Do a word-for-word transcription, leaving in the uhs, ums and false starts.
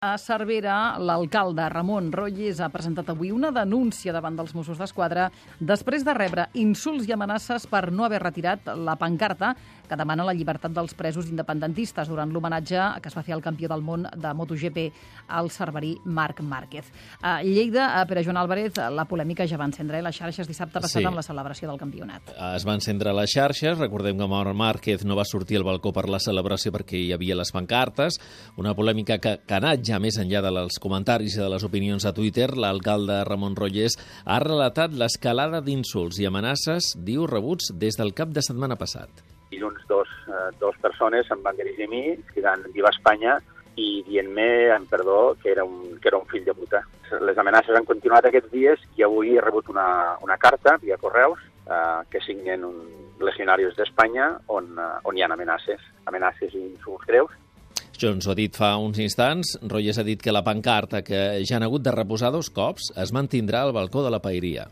A Cervera, l'alcalde Ramon Rotlles ha presentat avui una denúncia davant dels Mossos d'Esquadra després de rebre insults i amenaces per no haver retirat la pancarta que demana la llibertat dels presos independentistes durant l'homenatge que es va fer al campió del món de MotoGP, al cerverí Marc Márquez. A Lleida, a Pere Joan Álvarez, la polèmica ja va encendre a les xarxes dissabte passat Sí. amb la celebració del campionat. Es va encendre a les xarxes. Recordem que Marc Márquez no va sortir al balcó per la celebració perquè hi havia les pancartes. Una polèmica que, que ha anat ja més enllà dels comentaris i de les opinions a Twitter. L'alcalde Ramon Rotlles ha relatat l'escalada d'insults i amenaces, diu, rebuts des del cap de setmana passat. Dilluns dos, eh, dos persones em van dirigir a mi, cridant Viva Espanya i dient-me, en perdó, que era, un, que era un fill de puta. Les amenaces han continuat aquests dies i avui he rebut una, una carta via correus eh, que signen un legionarios d'Espanya on, eh, on hi ha amenaces, amenaces i insults greus. Això ens ho ha dit fa uns instants. Rotlles ha dit que la pancarta, que ja han hagut de reposar dos cops, es mantindrà al balcó de la paeria.